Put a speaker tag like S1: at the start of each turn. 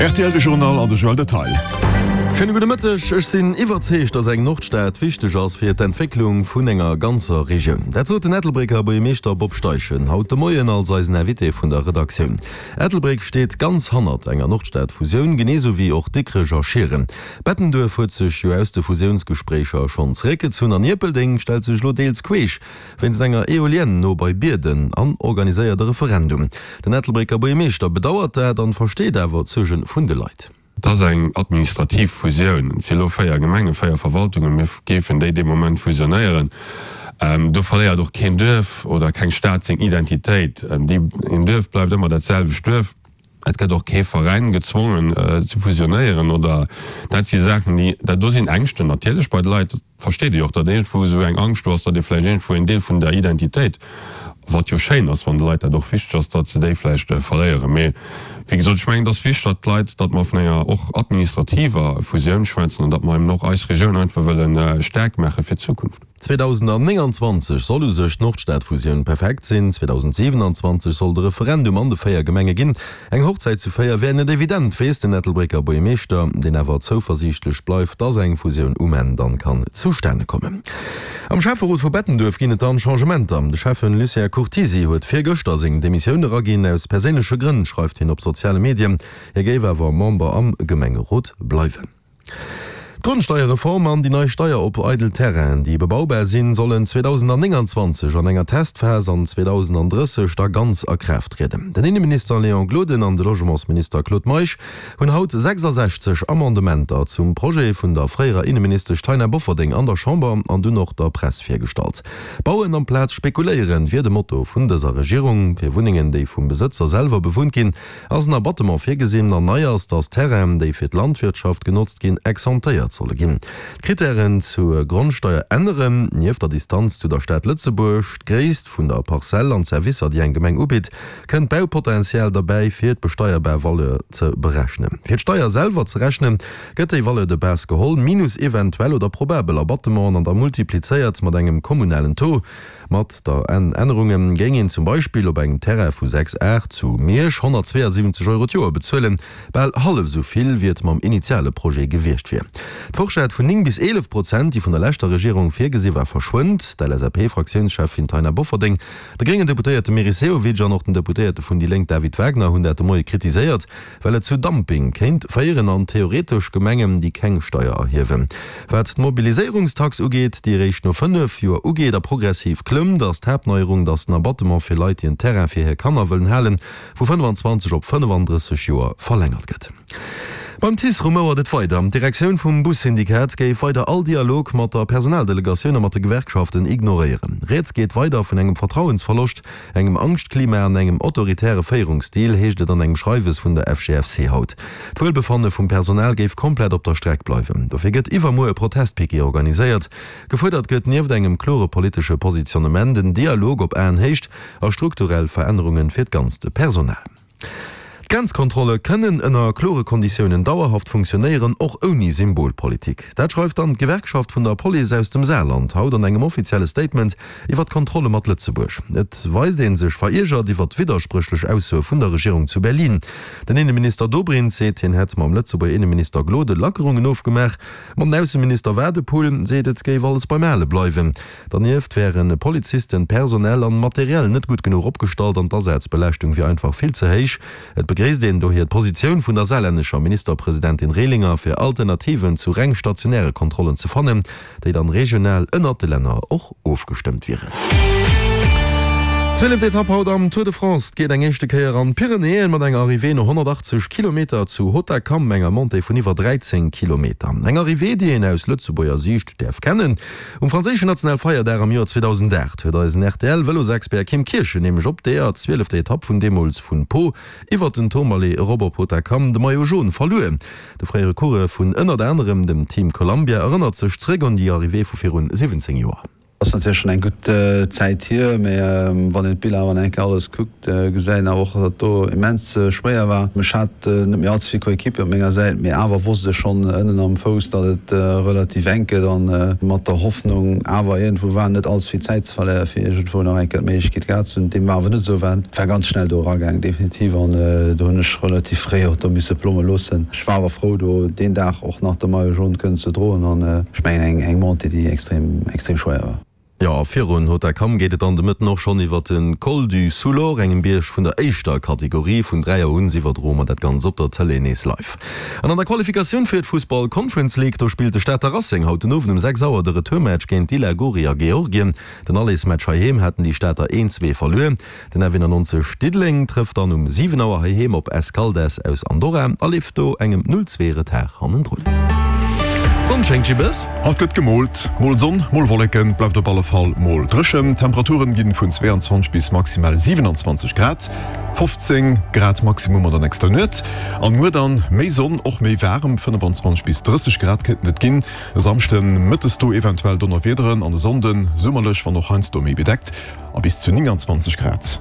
S1: Rtl de Journal an de Joël Detail.
S2: Schéine gudde Mëtteg. Ech sinn iwwerzeegt, datt eng Nordstad wichteg ass fir d'Entwécklung vun enger ganzer Regioun. Dat sot den Ettelbrécker Buergermeeschter Bob Steichen haut de Moien als eisen Invité vun der Redaktioun. Ettelbréck steet ganz hannert enger Nordstad-Fusioun, genee sou wéi och Dikrech a Schieren. Bettenduerf huet sech jo aus de Fusiounsgespréicher schonn zeréckgezunn an Ierpeldeng stellt sech elo deels queesch wéinst enger Eolienne no bei Bierden an organiséiert e Referendum. Den Ettelbrécker Buergermeeschter bedauert dat an versteet awer d'Suerge vun de Leit.
S3: Et ass eng administrativ Fusioun. Et si elo 4 Gemengen, 4 Verwaltungen. Mir géifen déi dee Moment fusionéieren. Do verléiert och keen Duerf oder keng Stad seng Identitéit. Een Duerf bleift ëmmer dat selwecht Duerf. Et gëtt och kee Veräin gezwongen ze fusionéieren oder dat si Saachen, déi, dat do sinn Ängschten natierlech bei de Leit, dat versteet ee jo och, datt iergendwou esou eng Angscht do ass, datt ee vläicht iergendwou en Deel vun der Identitéit, wat jo schéin ass, wann de Leit dat och wichteg ass, datt se déi vläicht verléieren. Mee wéi gesot, ech mengen, et ass wichteg, datt d'Leit, datt mer vun enger och administrativer Fusioun schwätzen an datt mer eben och eis Regioun einfach wëlle staark maache fir d'Zukunft.
S2: 2029 soll u sech d'Nordstad-Fusioun perfekt sinn, 2027 soll de Referendum an de 4 Gemenge ginn. Eng Hochzäit zu 4 wär net evident, weess den Ettelbrécker Buergermeeschter, deen awer zouversiichtlech bleift, dass eng Fusioun um Enn dann kann zustane kommen. Am Schäfferot vu Bettenduerf ginn et dann Changementer. De Schäffen Lucien Curtisi huet virgëschter seng Demissioun eraginn. Aus perséinleche Grënn, schreift hien op soziale Medien. Hie géif awer Member am Gemengerot bleiwen. D'Grondsteierreform an déi nei Steier op eidel Terrainen, déi bebaubar sinn, sollen 2029 an enger Testphas an 2030 da ganz a Kraaft trieden. Den Inneminister Léon Gloden an de Logementsminister Claude Meisch hunn haut 66 Amendementer zum Projet vun der fréierer Inneministesch Taina Bofferding an der Chamber an dunn och der Press virgestallt. Bauen amplaz spekuléieren wier de Motto vun dëser Regierung. Fir Wunnengen, déi vum Besëtzer selwer bewunnt ginn, Ass en Abattement virgesinn an nei ass, dass Terrainen, déi fir d'Landwirtschaft genotzt ginn, exemptéiert solle ginn. D'Krittären zur Grondsteier änneren, nieft der Distanz zu der Stad Lëtzebuerg, d'Gréisst vun der Parzell an d'Servicer, déi eng Gemeng ubitt, kënnt d'Baupotential derbäi, fir d'besteierbar Valeur ze berechnen. Fir d'Steier selwer ze rechnen, gëtt déi Valeur de base geholl, minus eventuell oder probabel Abattementen an da multiplizéiert mat engem kommunalen Taux. Mat der Ännerunge géing een zum Beispill op engem Terrain vu 6 Ar zu Miersch 172 Euro d'Joer bezuelen, bal hallef esou vill, wéi et mam initiale Projet gewiescht wier. D'Forschett vun 9 bis 11 Prozent, déi vun der leschter Regierung virgesi war, verschwënnt. D'LSAP-Fraktiounscheffin Taina Bofferding, de gréngen Deputéierte Meris Sehovic an och den Deputéierte vun déi Lénk David Wagner hunn dat de Moie kritiséiert. Well et zu Dumping kéint féieren an theoretesch Gemengen, déi keng Steier erhiewen. Wat d'Mobiliséierungstax ugeet, déi eréischt no 5 Joer ugeet a progressiv klëmmt, ass d'Haaptneierung, datt den Abattement fir Leit, déi en Terrain fir hir Kanner wëllen halen, vu 25 op 35 Joer verlängert gëtt. Beim TICE rumouert et weider. D'Direktioun vum Bussyndikat géif weider all Dialog mat der Personaldelegatioun a mat de Gewerkschaften ignoréieren. Rieds geet weider vun engem Vertrauensverloscht. Engem Angschtklima an engem autoritäre Féierungsstil, heescht et an engem Schreiwes vun der FGFC haut. D'Wuelbefanne vum Personal géif komplett op der Streck bleiwen. Dofir gëtt iwwermuer e Protestpiquet organiséiert. Gefuerdert gëtt nieft engem klore politesche Positionnement en Dialog op Aenhéicht a strukturell Verännerunge fir d'ganzt Personal. D'Grenzkontrolle kënnen ënner klore Konditiounen dauerhaft funktionéieren, och ouni Symbolpolitik. Dat schreift dann d'Gewerkschaft vun der Police aus dem Saarland haut an engem offizielle Statement iwwer d'Kontrolle mat Lëtzebuerg. Et weist ee sech veriergert iwwer d'widderspréchlech Aussoe vun der Regierung zu Berlin. Den Inneminister Dobrindt seet, hien hätt mam Lëtzebuerger Inneminister Gloden Lackerungen ofgemaach, ma den Ausseminister Wadephul seet, et géif alles beim Ale bleiwen. Dernieft wären Polizisten personell an materiell net gutt genuch opgestallt an d'Asazbelaaschtung wier einfach vill ze héich. Et begréisst een dohier d'Positioun vun der saarlännescher Ministerpresidentin Rehlinger, fir Alternativen zu reng stationäre Kontrollen ze fannen, déi dann regional ënnert de Länner och ofgestëmmt wieren. Zwieleft Etapp haut am Tour de France. Et geet eng éischte Kéier an d'Pyrenäen mat enger Arrivée no 180 Kilometer zu Hautacam, enger Montée vun iwwer 13 Kilometer. Eng Arrivée, déi een aus Lëtzebuerger Siicht däerf kennen. Um franséischen Nationalfeierdag am Joer 2008 huet eisen RTL-Vëlosexpert Kim Kirchen nämlech op deeër zwielefter Etapp vun deemools vun Pau iwwert den Tourmalet erop op Hautacam de Maillot Jaune verluer. De fréiere Coureur vun ënnert anerem dem Team Columbia erënnert sech zeréck un déi Arrivée vu virun 17 Joer.
S4: Ass natierlech schonn eng gutt Zäit hier, mä wann een d'Biller awer nach eng Kéier alles kuckt, gesäit een awer och, datt et do immens schwéier war. Ech hat net méi allze vill Coéquipier op menger Säit, mee awer wosst ech schonn ënnen am Fouss, datt et relativ enk gëtt an mat der Hoffnung awer iergendwou war net allze vill Zäit ze verléieren, fir iergendwou nach eng Kéier d'Méiglechkeet gehat ze hunn. Deem war awer net esou, war war ganz schnell do eragaang definitiv an do hunn ech relativ fréi och do misse plomme loossen. Ech war awer frou do deen Dag och nach de Maillot jaune kënnen ze droen an ech mengen eng Montée déi extrem extrem schwéier war.
S2: Jo, a virun Hautacam geet et dann de Mëtten och schonn iwwer de Col du Soulor, engem Bierg vun der éischter Kategorie. Vun 3 Auer un iwwerdroe mer dat Ganzt op der Tëlee nees live. An an der Qualifikatioun fir d'Fussball Conference League, do spillt de Stater Racing haut den Owend um 6 Auer de Retourmatch géint d'Dila Gori a Georgien. Den Allersmatch heiheem haten déi Stater 1, 2 verluer. Den F91 Diddeleng trëfft dann um 7 Auer heiheem op Escaldes aus Andorra a leeft do engem 0, 2 Retard hannendrun. D'Sonn schéngt Jibbes.
S1: Haut gëtt gemoolt, mol Sonn, mol Wolleken, bleift op alle Fall mol dréchen. D'Temperaturen ginn vun 22 bis maximal 27 Grad, 15 Grad Maximum an der nächster Nuet. An muer dann méi Sonn, och méi waarem, 25 bis 30 Grad kéinten et ginn. E Samschden mëttes do eventuell Donnerwiederen an e Sonnden summerlech, wann och heiansdo méi bedeckt. A bis zu 29 Grad.